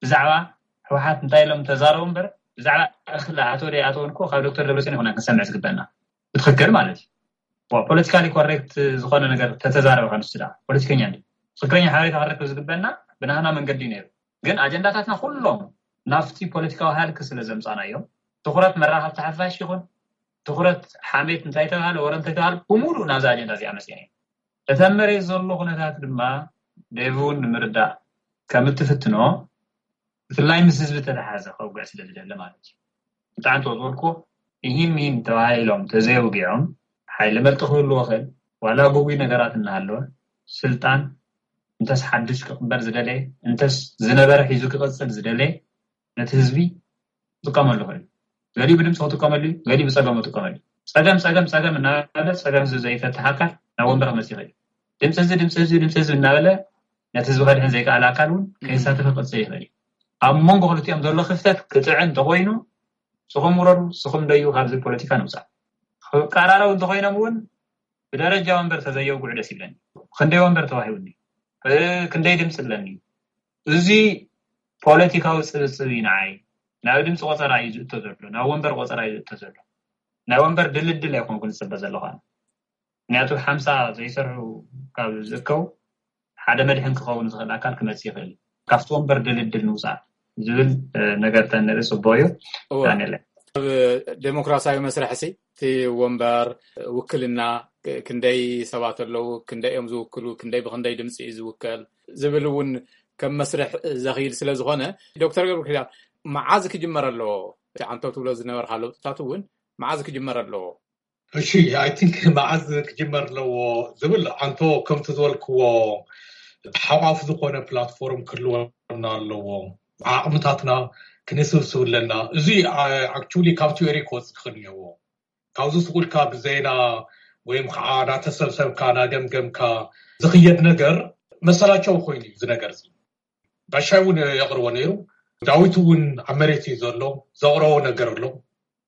ብዛዕባ ህወሓት እንታይ ኢሎም ተዛረቡ እምበር፣ ብዛዕባ እኽሊ ኣቶ ደይ ኣቶ እንኮ ካብ ዶክተር ደብረፅዮን ይኮና ክንሰምዕ ዝግበና፣ ብትኽክል ማለት እዩ። ፖለቲካሊ ኮሬክት ዝኾነ ነገር ተተዛረበ ከንሱ ዳ ፖለቲከኛ እንዲ ትኽክለኛ ሓበሬታ ክረክብ ዝግበና ብናህና መንገዲ እዩ ነይሩ። ግን ኣጀንዳታትና ኩሎም ናብቲ ፖለቲካዊ ሃልክ ስለ ዘምፃናዮም፣ ትኹረት መራኸብቲ ሓፋሽ ይኹን ትኹረት ሓሜት እንታይ ተባሃለ፣ ወረ እንታይ ተባሃለ፣ ብሙሉእ ናብዚ ኣጀንዳ እዚኣ መፅና እዩ። እቲ ኣብ መሬት ዘሎ ኩነታት ድማ ደቡን ንምርዳእ ከም እትፍትኖ፣ ብፍላይ ምስ ህዝቢ ተተሓዘ ከውግዕ ስለ ዝደለ ማለት እዩ። ብጣዕሚ ተወዝወልኩ ኢሂን ሚን ተባሂሎም ተዘየውጊዖም፣ ሓይሊ መልጢ ክህልዎ ክእል፣ ዋላ ጉጉይ ነገራት እናሃለወ፣ ስልጣን እንተስ ሓድሽ ክቕበር ዝደለየ፣ እንተስ ዝነበረ ሒዙ ክቕፅል ዝደለየ፣ ነቲ ህዝቢ ክጥቀመሉ ይኽእል እዩ። ገሊኡ ብድምፂ ክጥቀመሉ እዩ፣ ገሊኡ ብፀገሙ ክጥቀመሉ እዩ። ፀገም ፀገም ፀገም እናበለ ፀገም ህዝቢ ዘይፈትሕ ኣካል ናብ ወንበር ክመፅእ ይኽእል እዩ። ድምፂ ህዝቢ ድምፂ ህዝቢ ድምፂ ህዝቢ እናበለ ነቲ ህዝቢ ከድሕን ዘይከኣለ ኣካል እውን ከይሳተፈ ክቅፅል ይኽእል እዩ። ኣብ መንጎ ክልቲኦም ዘሎ ክፍተት ክጥዕን እንተኮይኑ፣ ስኹም ውረዱ፣ ስኹም ደዩ፣ ካብዚ ፖለቲካ ንውፃእ። ክቀራረቡ እንተኮይኖም እውን ብደረጃ ወንበር ተዘየውግዑ ደስ ይብለኒ። ክንደይ ወንበር ተዋሂቡኒ፣ ክንደይ ድምፂ ኣለኒ፣ እዚ ፖለቲካዊ ፅብፅብ እዩ ንዓይ። ናብ ድምፂ ቆፀራ እዩ ዝእቶ ዘሎ፣ ናብ ወንበር ቆፀራ እዩ ዝእቶ ዘሎ። ናይ ወንበር ድልድል ኣይኮንኩን ዝፅበ ዘለኹ ኣነ። ምክንያቱ ሓምሳ ዘይሰርሑ ካብ ዝእከቡ ሓደ መድሕን ክኸውን ዝኽእል ኣካል ክመፅእ ይኽእል እዩ። ካብቲ ወንበር ድልድል ንውፃእ ዝብል ነገር ተንርኢ ፅቡቅ እዩ። ዳንኤል፣ ኣብ ዴሞክራሲያዊ መስርሕ ሲ እቲ ወንበር ውክልና ክንደይ ሰባት ኣለዉ፣ ክንደይ እዮም ዝውክሉ፣ ክንደይ ብክንደይ ድምፂ እዩ ዝውከል ዝብል እውን ከም መስርሕ ዘኽይድ ስለ ዝኾነ፣ ዶክተር ገብረኪዳን፣ መዓዝ ክጅመር ኣለዎ? እቲ ዓንቶ ትብሎ ዝነበርካ ለውጥታት እውን መዓዝ ክጅመር ኣለዎ? እሺ፣ ኣይ ቲንክ መዓዝ ክጅመር ኣለዎ ዝብል ዓንቶ ከምቲ ዝበልክዎ ሓቋፍ ዝኾነ ፕላትፎርም ክህልወና ኣለዎ። ዓቕምታትና ክንስብስብ ኣለና። እዚ ኣክቹሊ ካብ ቲዮሪ ክወፅእ ክኽእል እኒአዎ። ካብዚ ስቁልካ ብዜና ወይም ከዓ እናተሰብሰብካ እናገምገምካ ዝኽየድ ነገር መሰላቸው ኮይኑ እዩ እዚ ነገር እዚ። ባሻይ እውን የቕርቦ ነይሩ። ዳዊት እውን ኣብ መሬት እዩ ዘሎ፣ ዘቕረቦ ነገር ኣሎ።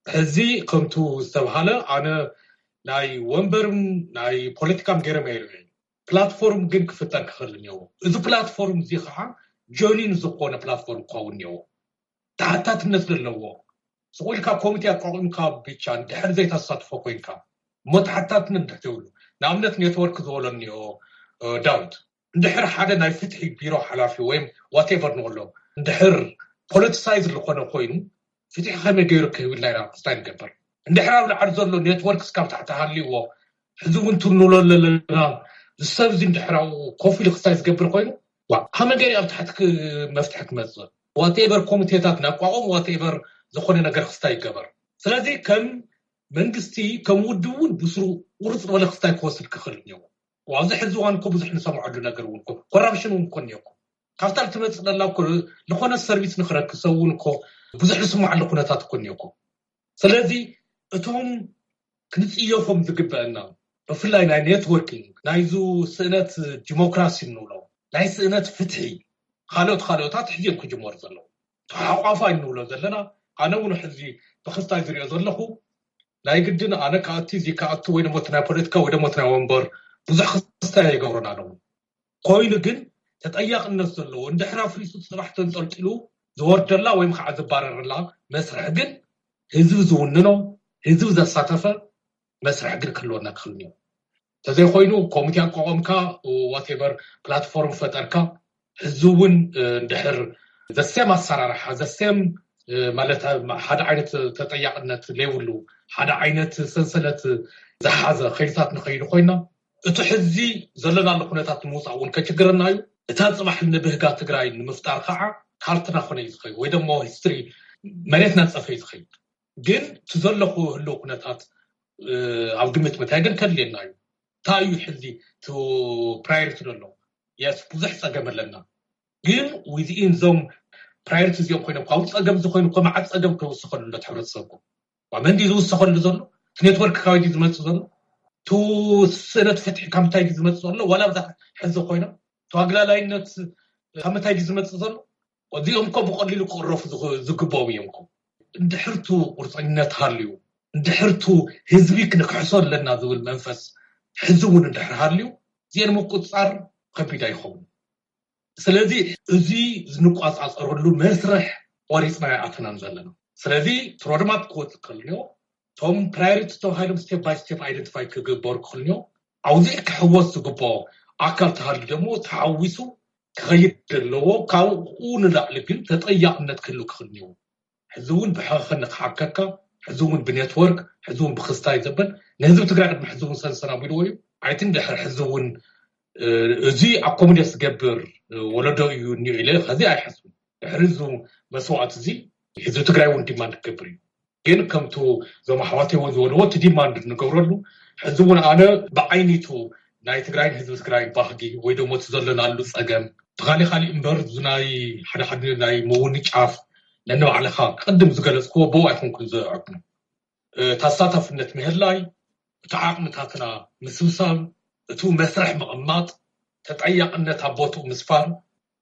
ሕዚ ከምቱ ዝተብሃለ ኣነ ናይ ወንበርም ናይ ፖለቲካም ገይረ መይሩ እየ። ፕላትፎርም ግን ክፍጠር ክኽእል እኒአዎ። እዚ ፕላትፎርም እዚ ከዓ ጀኒን ዝኾነ ፕላትፎርም ክኸውን እኒአዎ። ተሓታትነት ዘለዎ ስቑልካ ኮሚቴ ኣቋቑምካ ብቻ እንድሕር ዘይተሳትፎ ኮይንካ እሞ ተሓታትነት እንድሕር ዘይብሉ፣ ንኣብነት ኔትወርክ ዝበሎ እኒኦ ዳዊት፣ እንድሕር ሓደ ናይ ፍትሒ ቢሮ ሓላፊ ወይም ዋቴቨር ንበሎ እንድሕር ፖለቲሳይዝ ዝኾነ ኮይኑ፣ ፍትሒ ከመይ ገይሩ ክህብ ኢልና ኢና ክስታይ ንገብር። እንድሕር ኣብ ላዕሊ ዘሎ ኔትወርክ እስካብ ታሕቲ ሃልይዎ፣ ሕዚ እውን ትንሎ ኣለና፣ ዝሰብ እዚ እንድሕር ኣብኡ ኮፍ ኢሉ ክስታይ ዝገብር ኮይኑ፣ ዋ፣ ከመይ ገይሩ ኣብ ታሕቲ ክ-፣ መፍትሒ ክመፅእ? ዋቴቨር ኮሚቴታት ናቋቑም፣ ዋቴቨር ዝኾነ ነገር ክስታይ ይገበር። ስለዚ ከም መንግስቲ፣ ከም ውድብ እውን ብስሩ ቁርፅ ዝበለ ክስታይ ክወስድ ክኽእል እኒአዎ። ኣብዚ ሕዚ እዋን እኮ ብዙሕ ንሰምዐሉ ነገር እውን እኮ ኮራፕሽን እውን እኮ እኒኦ እኮ። ካብታ እትመፅእ ዘላ እኮ ዝኾነ ሰርቪስ ንክረክብ ሰብ እውን እኮ ብዙሕ ዝስማዓሉ ኩነታት እኮ እኒኦ እኮ። ስለዚ እቶም ክንፅየፎም ዝግበአና ብፍላይ ናይ ኔትወርኪንግ ናይዙ ስእነት ዲሞክራሲ እንብሎ ናይ ስእነት ፍትሒ ካልኦት ካልኦታት ሕዚ እዮም ክጅመሩ ዘለዉ። ተሓቋፋይ እንብሎ ዘለና ኣነ እውን ሕዚ ብክስታይ ዝሪኦ ዘለኹ ናይ ግድን ኣነ ክኣቱ እዚ ክኣቱ ወይ ደሞ እቲ ናይ ፖለቲካ ወይ ደሞ እቲ ናይ ወንበር ብዙሕ ክስታይ ኣይገብሮን ኣለዉ። ኮይኑ ግን ተጠያቕነት ዘለዎ እንድሕር ኣፍሪሱ እቲ ስራሕ ተንጠልጢሉ ዝወርደላ ወይም ከዓ ዝባረረላ መስርሕ ግን ህዝቢ ዝውንኖ ህዝቢ ዘሳተፈ መስርሕ ግን ክህልወና ክኽእል እኒኦ። እንተዘይኮይኑ ኮሚቴ ኣቋቋምካ ዋቴቨር ፕላትፎርም ፈጠርካ ህዚ እውን እንድሕር ዘሴም ኣሰራርሓ ዘሴም ማለት ሓደ ዓይነት ተጠያቅነት ዘይብሉ ሓደ ዓይነት ሰንሰለት ዝሓዘ ከይድታት ንኸይዱ ኮይና እቲ ሕዚ ዘለናሉ ኩነታት ንምውፃእ እውን ከችግረና እዩ። እታ ፅባሕ ንብህጋ ትግራይ ንምፍጣር ከዓ ካርትና ኮነ እዩ ዝኸይድ ወይ ደሞ ሂስትሪ መሬት ናፀፈ እዩ ዝኸይድ። ግን እቲ ዘለኹ ህልው ኩነታት ኣብ ግምት ምታይ ግን ከድልየና እዩ። እንታይ እዩ ሕዚ ፕራዮሪቲ ዘሎ? የስ ብዙሕ ፀገም ኣለና። ግን ዊዝኢን ዞም ፕራዮሪቲ እዚኦም ኮይኖም ካብኡ ፀገም ዝኾይኑ እኮ መዓት ፀገም ክውስኸሉ ለት ሕብረተሰብኩም መን ድዩ ዝውሰኸሉ ዘሎ? እቲ ኔትወርክ ካበይ ድዩ ዝመፅእ ዘሎ? እቲ ስእነት ፍትሒ ካብ ምንታይ ድዩ ዝመፅእ ዘሎ? ዋላ ብዛ ሕዚ ኮይኖም እቲ ኣግላላይነት ካብ ምንታይ ድዩ ዝመፅእ ዘሎ? እዚኦም እኮ ብቐሊሉ ክቕረፉ ዝኽ- ዝግብኦም እዮም እኮ። እንድሕርቱ ቁርፀኝነት ሃልዩ እንድሕርቱ ህዝቢ ክንክሕሶ ኣለና ዝብል መንፈስ ሕዚ እውን እንድሕር ሃልዩ እዚአን ምቁፅፃር ከቢድ ኣይኸውን። ስለዚ እዚ ዝንቋፃፀረሉ መስርሕ ቆሪፅና ኣይኣተናን ዘለና። ስለዚ እቲ ሮድማፕ ክወፅእ ከልዮ እቶም ፕራዮሪቲ ተባሂሎም ስቴፕ ባይ ስቴፕ ኣይደንቲፋይ ክግበሩ ክኽልዮ ኣውዚዕ ክሕወስ ዝግብኦ ኣካል ተሃልዩ ደግሞ ተሓዊሱ ክኸይድ ዘለዎ ካብኡ ንላዕሊ ግን ተጠያቅነት ክህሉ ክኽልዮ ሕዚ እውን ብሕኸ ንክሓከካ ሕዚ እውን ብኔትወርክ ሕዚ እውን ብክስታይ ዘበል ንህዝቢ ትግራይ ቅድሚ ሕዚ እውን ሰንሰን ኣቢልዎ እዩ። ኣይትን ድሕር ሕዚ እውን እዚ ኣኮሞዴት ዝገብር ወለዶ እዩ እኒኦ ኢለ ከዚ ኣይሓስብን። ድሕሪ እዚ መስዋዕት እዚ ህዝቢ ትግራይ እውን ዲማንድ ክገብር እዩ። ግን ከምቱ እዞም ኣሕዋተይ እውን ዝበልዎ እቲ ዲማንድ ንገብረሉ ሕዚ እውን ኣነ ብዓይኒቱ ናይ ትግራይን ህዝቢ ትግራይ ባህጊ ወይ ደሞ እቲ ዘለናሉ ፀገም ተኻሊ ካሊእ እምበር ናይ ሓደ ሓደ ናይ ምውንጫፍ ነንባዕልኻ ቅድም ዝገለፅክዎ ብኡ ኣይኮንኩን ዘዕብኑ ተሳታፍነት ምህላይ እቲ ዓቕምታትና ምስብሳብ እቱ መስርሕ ምቕማጥ ተጠያቕነት ኣብ ቦትኡ ምስፋር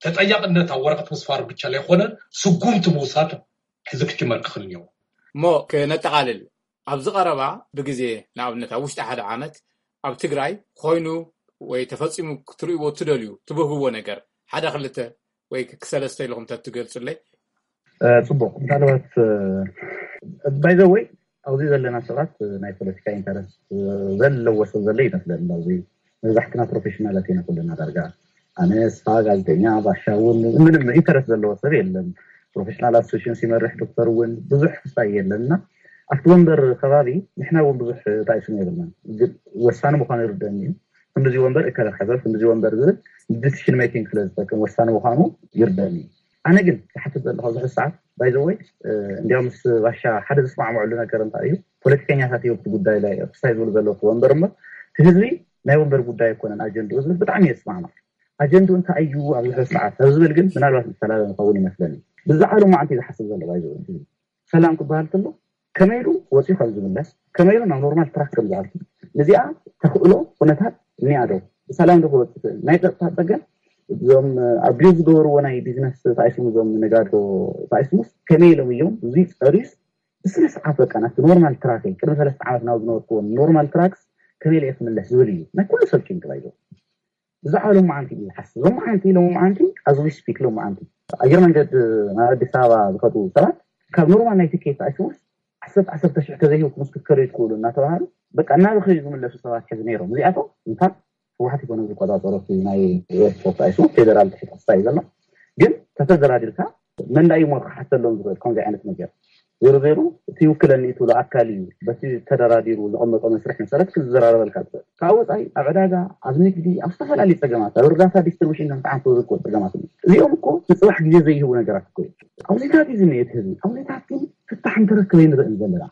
ተጠያቕነት ኣብ ወረቐት ምስፋር ብቻ ዘይኮነ ስጉምቲ ምውሳድ ሕዚ ክጅመር ክኽእል እኒዎ። እሞ ክነጠቓልል ኣብዚ ቀረባ ብግዜ ንኣብነት ኣብ ውሽጢ ሓደ ዓመት ኣብ ትግራይ ኮይኑ ወይ ተፈፂሙ ክትርእይዎ ትደልዩ ትብህግዎ ነገር ሓደ ክልተ ወይ ክሰለስተ ኢልኩም ተትገልፁለይ። ፅቡቅ ምናልባት ባይዘወይ ኣብዚ ዘለና ሰባት ናይ ፖለቲካ ኢንተረስት ዘለዎ ሰብ ዘሎ ይመስለኒ ኣብዚ መብዛሕትና ፕሮፌሽናላት ኢና ኩልና ዳርጋ ኣነ ስፋ ጋዜጠኛ ባሻ እውን ምንም ኢንተረስት ዘለዎ ሰብ የለን ፕሮፌሽናል ኣሶሽንስ ይመርሕ ዶክተር እውን ብዙሕ ክሳይ የለን እና ኣብቲ ወንበር ከባቢ ንሕና እውን ብዙሕ ራእሲ የብልናን ግን ወሳኒ ምኳኑ ይርደኒ እዩ ክንድዚ ወንበር እከለ ክሕዘ ክንድዚ ወንበር ዝብል ዲሲሽን ሜኪንግ ስለ ዝጠቅም ወሳኒ ምኳኑ ይርደኒ ኣነ ግን ዝሓትት ዘለኹ ኣብዚ ሰዓት ባይዘወይ እንዲያው ምስ ባሻ ሓደ ዝስማዕምዐሉ ነገር እንታይ እዩ ፖለቲከኛታት እዮም እቲ ጉዳይ ላይ ክሳይ ዝብሉ ዘለዉ ወንበር እምበር እቲ ህዝቢ ናይ ወንበር ጉዳይ ኣይኮነን ኣጀንድኡ ዝብል ብጣዕሚ እየ ዝስማዕማዕ ኣጀንድኡ እንታይ እዩ ኣብዚ ሕዚ ሰዓት ኣብ ዝብል ግን ምናልባት ዝተላለመ ክኸውን ይመስለኒ ብዛዕባ ሎማዓንቲ ዝሓስብ ዘሎ ባይዘወይ ሰላም ክበሃል ከሎ ከመይ ኢሉ ወፂኡ ከም ዝምለስ ከመይ ኢሉ ናብ ኖርማል ትራክ ከም ዝኣቱ እዚኣ ተኽእሎ ኩነታት እኒኣ ዶ ብሰላም ዶ ክወፅእ ይኽእል ናይ ፀጥታ ፀገም እዞም ኣቢዩዝ ዝገበርዎ ናይ ቢዝነስ ተኣይሶም እዞም ነጋዶ ተኣይሶምስ ከመይ ኢሎም እዮም እዚ ፀሪስ ብስነ ስርዓት በቃ ናብቲ ኖርማል ትራክ ቅድሚ ሰለስተ ዓመት ናብ ዝነበርክዎ ኖርማል ትራክስ ከመይ ኢለ ክምለስ ዝብል እዩ ናይ ኩሉ ሰብ ጭንቂ ባይዞ ብዛዕባ ሎማዓንቲ እዩ ዝሓስብ ሎማዓንቲ ሎማዓንቲ as we speak ሎማዓንቲ ኣየር መንገድ ናብ ኣዲስ ኣበባ ዝኸዱ ሰባት ካብ ኖርማል ናይ ትኬት ኣይስሙስ ዓሰርተ ዓሰርተ ሽሕ ተዘይሂብኩም ምስ ክትከዱ ይትክእሉ እናተባሃሉ በቃ እናበኸዩ ዝምለሱ ሰባት ሕዚ ነይሮም እዚኣቶም እንታ ህወሓት ይኮነ ዝቆፃፀሮ ናይ ኤርፖርት ኣይሱ ፌደራል ትሕቲ ክስታይ ዘሎ ግን ተተደራዲርካ መን ዳእዩ ሞ ክሓተሎም ዝኽእል ከምዚ ዓይነት ነገር ዜሮ ዜሮ እቲ ይውክለኒ ትብሎ ኣካል እዩ በቲ ተደራዲሩ ዘቐመጦ መስርሕ መሰረት ክዝራረበልካ ዝኽእል ካብ ወፃኢ ኣብ ዕዳጋ ኣብ ንግዲ ኣብ ዝተፈላለዩ ፀገማት ኣብ እርዳታ ዲስትሪቡሽን ከም ተዓንቶ ዝርከቡ ፀገማት እዚኦም እኮ ንፅባሕ ግዜ ዘይህቡ ነገራት እኮ ኣውዜታት እዩ ዝኒኤ እቲ ህዝቢ ኣውዜታት ግን ፍታሕ እንተረክበ ንርኢ ዘለና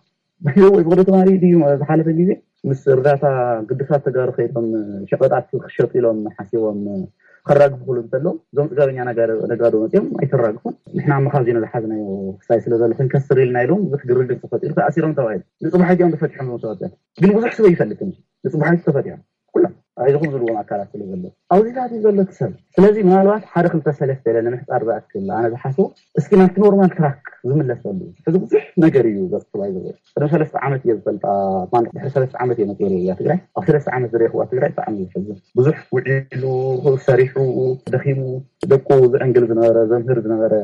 ብሕዚ ወይ ብክደ ተማሪ ድዩ ዝሓለፈ ግዜ ምስ እርዳታ ግዱሳት ተጋሩ ከይዶም ሸቀጣት ክሸጡ ኢሎም ሓሲቦም ከራግፉ ክሉ እንተለዉ፣ እዞም ጽጋበኛ ነጋዶ መጺኦም ኣይተራግፉን። ንሕና መኻዚኖ ዝሓዝናዮ ክሳይ ስለ ዘሎ ክንከስር ኢልና ኢሎም ብዙሕ ግርግር ተፈጢሩ፣ ተኣሲሮም ተባሂሉ። ንጽባሕ እዚኦም ተፈቲሖም እዮም ተወጽኦም። ግን ብዙሕ ሰብ ይፈልጥን እዩ። ንጽባሕ ተፈቲሖም ኩሎም ኣይዞኹም ዝብልዎም ኣካላት ስለ ዘሎ፣ ኣብዚታት እዩ ዘሎ እቲ ሰብ። ስለዚ ምናልባት ሓደ ክልተ ሰለስተ ኢለ ንምሕጻር ዝኣክል ኣነ ዝሓስቦ፣ እስኪ ናብቲ ኖርማል ትራክ ዝምለሰሉ። ሕዚ ብዙሕ ነገር እዩ ዘጥፍባይ ዘሎ። ቅድሚ ሰለስተ ዓመት እየ ዝፈልጣ፣ ማለት ድሕሪ ሰለስተ ዓመት እየ መፅእ እያ ትግራይ። ኣብ ሰለስተ ዓመት ዝረእኽዋ ትግራይ ብጣዕሚ እዩ ዝሕዝን። ብዙሕ ውዒሉ፣ ሰሪሑ፣ ደኺሙ፣ ደቁ ዝዕንግል ዝነበረ፣ ዘምህር ዝነበረ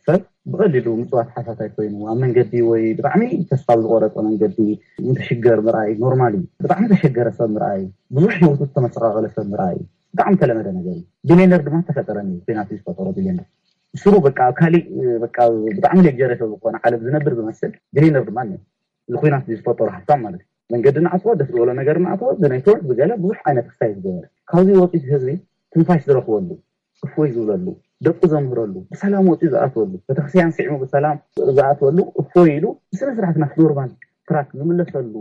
ሰብ ብቐሊሉ ምፅዋት ሓሳታይ ኮይኑ ኣብ መንገዲ ወይ ብጣዕሚ ተስፋ ብዝቆረፀ መንገዲ እንትሽገር ምርኣይ ኖርማል እዩ። ብጣዕሚ ተሸገረ ሰብ ምርኣይ፣ ብዙሕ ህይወቱ ዝተመሰቃቀለ ሰብ ምርኣይ ብጣዕሚ ተለመደ ነገር እዩ። ቢልዮነር ድማ ተፈጠረ እዩ፣ ዜና ዝፈጠሮ ቢልዮነር። ስሩ በቃ ኣብ ካሊእ በቃ ብጣዕሚ ሌክጀሪ ሰብ ዝኾነ ዓለም ዝነብር ዝመስል ቢልዮነር ድማ እኒኦ። እዚ ኩናት እዚ ዝፈጠሮ ሃብታም ማለት እዩ። መንገዲ ንዓፅዎ፣ ደስ ዝበሎ ነገር ንኣትዎ፣ ብኔትወርክ ብገለ ብዙሕ ዓይነት ክስታይ ዝገበረ። ካብዚ ወፂኡ ህዝቢ ትንፋሽ ዝረኽበሉ፣ እፎይ ዝብለሉ፣ ደቁ ዘምህረሉ፣ ብሰላም ወፂኡ ዝኣትወሉ፣ ቤተክርስትያን ስዒሙ ብሰላም ዝኣትወሉ፣ እፎይ ኢሉ ብስነ ስርዓት ናብ ኖርማል ትራክ ዝምለሰሉ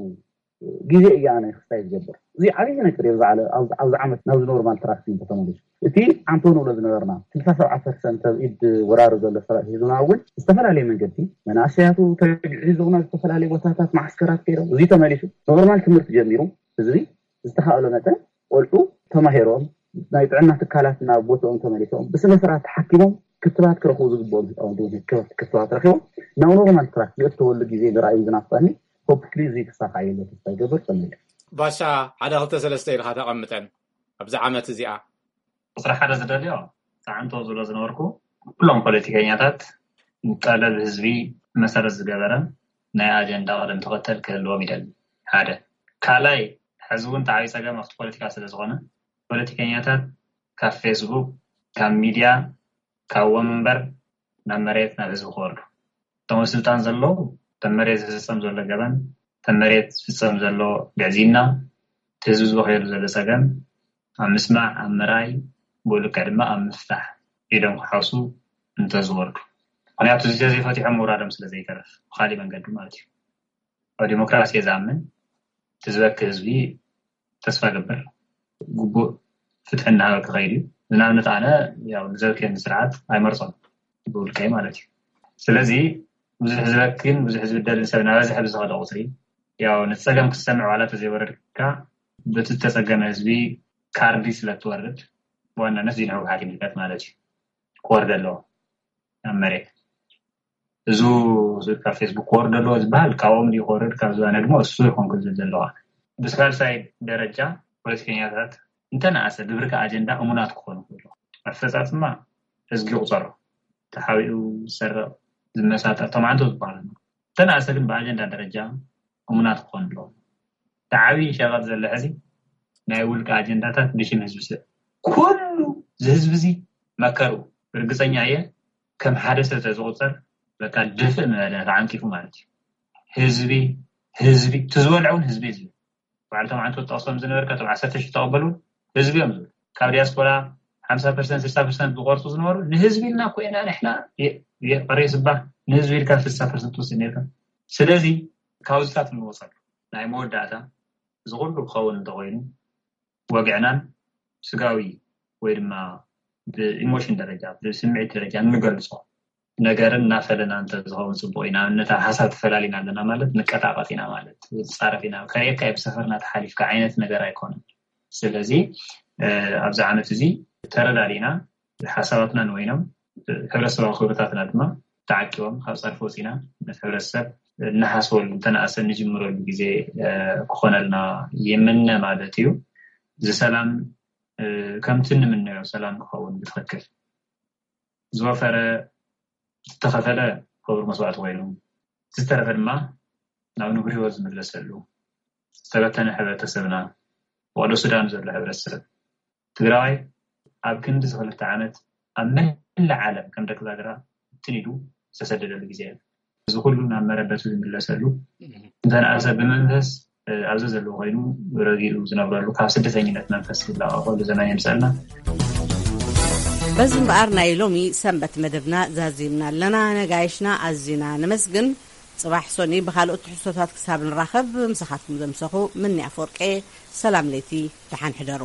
ግዜ እዩ ኣነ ክስታይ ዝገብር። እዚ ዓብዪ ነገር እዩ። ኣብዚ ዓለ-፣ ኣብዚ፣ ኣብዚ ዓመት ናብዚ ኖርማል ትራክ እዩ ተመሊሱ። እቲ ዓንቶ ንብሎ ዝነበርና ስልሳ ሰብዓ ፐርሰንት ኣብ ኢድ ወራሪ ዘሎ ሰራዊት ሒዙና እውን ዝተፈላለየ መንገዲ መናእሰያቱ ተግዒዞም ናብ ዝተፈላለየ ቦታታት ማዓስከራት ከይዶም፣ እዚ ተመሊሱ ኖርማል ትምህርቲ ጀሚሩ ህዝቢ ዝተኻእሎ መጠን ቆልዑ ተማሂሮም ናይ ጥዕና ትካላት ናብ ቦታኦም ተመሊሶም ብስነ ስርዓት ተሓኪሞም ክትባት ክረኽቡ ዝግብኦም ህፃውንቲ እውን ክብ-፣ ክትባት ረኪቦም ናብ ኖርማል ትራክ ዝእተወሉ ግዜ ንርኣዩ ዝናፍቀኒ። ሆፕፉሊ እዚ ክሳካዕ እዩ ተስፋ ይገብር። ጸኒሑ። ባሻ፣ ሓደ ክልተ ሰለስተ ኢልካ ተቐምጠን ኣብዚ ዓመት እዚኣ። ቁፅሪ ሓደ ዝደልዮ፣ ፃዕንቶ ዝብሎ ዝነበርኩ፣ ኩሎም ፖለቲከኛታት ጠለብ ህዝቢ መሰረት ዝገበረ ናይ ኣጀንዳ ቅደም ተኸተል ክህልዎም ይደሊ። ሓደ። ካልኣይ፣ ሕዚ እውን ተዓብዩ ፀገም ኣብቲ ፖለቲካ ስለ ዝኾነ፣ ፖለቲከኛታት ካብ ፌስቡክ፣ ካብ ሚድያ፣ ካብ ወንበር ናብ መሬት፣ ናብ ህዝቢ ክወርዱ። እቶም ኣብ ስልጣን ዘለዉ፣ እቶም መሬት ዝፍጸም ዘሎ ገበን፣ እቶም መሬት ዝፍጸም ዘሎ ግዕዝይና፣ እቲ ህዝቢ ዝበኸየሉ ዘሎ ጸገም ኣብ ምስማዕ፣ ኣብ ምርኣይ፣ ብኡ ልክዕ ድማ ኣብ ምፍታሕ ኢዶም ክሓውሱ እንተዝወርዱ። ምኽንያቱ፣ እዚ ተዘይፈቲሖም ምውራዶም ስለ ዘይተርፍ፣ ብኻሊእ መንገዲ ማለት እዩ። ኣብ ዲሞክራሲ እየ ዝኣምን። እቲ ዝበኪ ህዝቢ ተስፋ ገብር፣ ግቡእ ፍትሒ እናሃበ ክኸይድ እዩ። ንኣብነት ኣነ ያው ንዘብክየኒ ስርዓት ኣይመርጾን፣ ብውልቀይ ማለት እዩ። ስለዚ ብዙሕ ዝበክን ብዙሕ ዝብደልን ሰብ እናበዝሐ ብዝኸደ ቁፅሪ፣ ያው ነቲ ጸገም ክትሰምዕ ዋላ ተዘይወረድካ፣ በቲ ዝተጸገመ ህዝቢ ካርዲ ስለ እትወርድ፣ ብዋናነት እዚ ንህወሓት ይምልከት ማለት እዩ። ክወርድ ኣለዎ ናብ መሬት። እዚ ካብ ፌስቡክ ክወርድ ኣለዎ ዝበሃል ካብኦም ድዩ ክወርድ፣ ካብ ዝባነ ድማ እሱ ይኾን ክብል ዘለዋ። ብሳልሳይ ደረጃ ፖለቲከኛታት እንተነኣሰ ብብርኪ ኣጀንዳ እሙናት ክኾኑ ክብሉ። ኣፈጻጽማ ህዝጊ ይቑጸሮ። ተሓቢኡ ዝሰርቕ፣ ዝመሳጠር፣ ተማዕንቶ ዝበሃል ኣሎ። እንተነኣሰ ግን ብኣጀንዳ ደረጃ እሙናት ክኾኑ ኣለዎም። እቲ ዓብዪ ሸቐጥ ዘሎ ሕዚ ናይ ውልቀ ኣጀንዳታት ብሽም ህዝቢ ስለ ኩሉ እዚ ህዝቢ እዚ መከሩ ርግጸኛ እየ ከም ሓደ ሰብ ተዝቑጸር በቃ ድፍእ ምበለ ተዓንቂፉ ማለት እዩ። ህዝቢ፣ ህዝቢ፣ እቲ ዝበልዐ እውን ህዝቢ እዩ ዝብል። በዓል ተማዕንቶ ትጠቕሶም ዝነበርካ እቶም ዓሰርተ ሺሕ ተቐበሉ እውን ህዝቢ እዮም ዝብል። ካብ ዲያስፖራ ሓምሳ ፐርሰንት ስልሳ ፐርሰንት ዝቆርጹ ዝነበሩ ንህዝቢ ኢልና እኮ ኢና ንሕና የ-፣ የቕሬ ስባ ንህዝቢ ኢልካ ስልሳ ፐርሰንት ትወስድ ነርካ። ስለዚ ካብዚታት ንወጸሉ ናይ መወዳእታ እዚ ኩሉ ክኸውን እንተኾይኑ ወግዕናን ስጋዊ ወይ ድማ ብኢሞሽን ደረጃ ብስምዒት ደረጃ እንገልጾ ነገርን እናፈለና እንተዝኸውን ጽቡቕ ኢና። ንኣብነት ኣብ ሓሳብ ተፈላሊና ኣለና ማለት ንቀጣቐጥ ኢና ማለት ንጻረፍ ኢና። ከርእየካ እየ ብሰፈርና ተሓሊፍካ ዓይነት ነገር ኣይኮነን። ስለዚ ኣብዚ ዓመት እዚ ተረዳዲእና ሓሳባትና ንወይኖም ሕብረተሰባዊ ክብርታትና ድማ ተዓቂቦም ካብ ጸርፊ ወፂና ነቲ ሕብረተሰብ እናሓስበሉ እንተነኣሰ እንጅምረሉ ግዜ ክኾነልና ይምነ ማለት እዩ። እዚ ሰላም ከምቲ እንምነዮ ሰላም ክኸውን ብትኽክል ዝወፈረ ዝተኸፈለ ክቡር መስዋዕቲ ኮይኑ ዝተረፈ ድማ ናብ ንቡር ህይወት ዝምለሰሉ ዝተበተነ ሕብረተሰብና፣ ወቕዶ ሱዳን ዘሎ ሕብረተሰብ ትግራዋይ ኣብ ክንዲ እዚ ክልተ ዓመት ኣብ መላእ ዓለም ከም ደቂ ዛግራ ብትን ኢሉ ዝተሰደደሉ ግዜ እዩ። እዚ ኩሉ ናብ መረበቱ ዝምለሰሉ እንተነኣሰ ብመንፈስ ኣብዚ ዘለዎ ኮይኑ ረጊኡ ዝነብረሉ ካብ ስደተኝነት መንፈስ ዝላቐቐሉ ዘመን የምፀልና። በዚ እምበኣር ናይ ሎሚ ሰንበት መደብና ዛዚምና ኣለና። ነጋይሽና ኣዚና ነመስግን። ጽባሕ ሶኒ ብኻልኦት ትሕዝቶታት ክሳብ ንራኸብ ምሳኻትኩም ዘምሰኹ ምኒ ኣፈወርቄ። ሰላም ለይቲ፣ ደሓን ሕደሩ።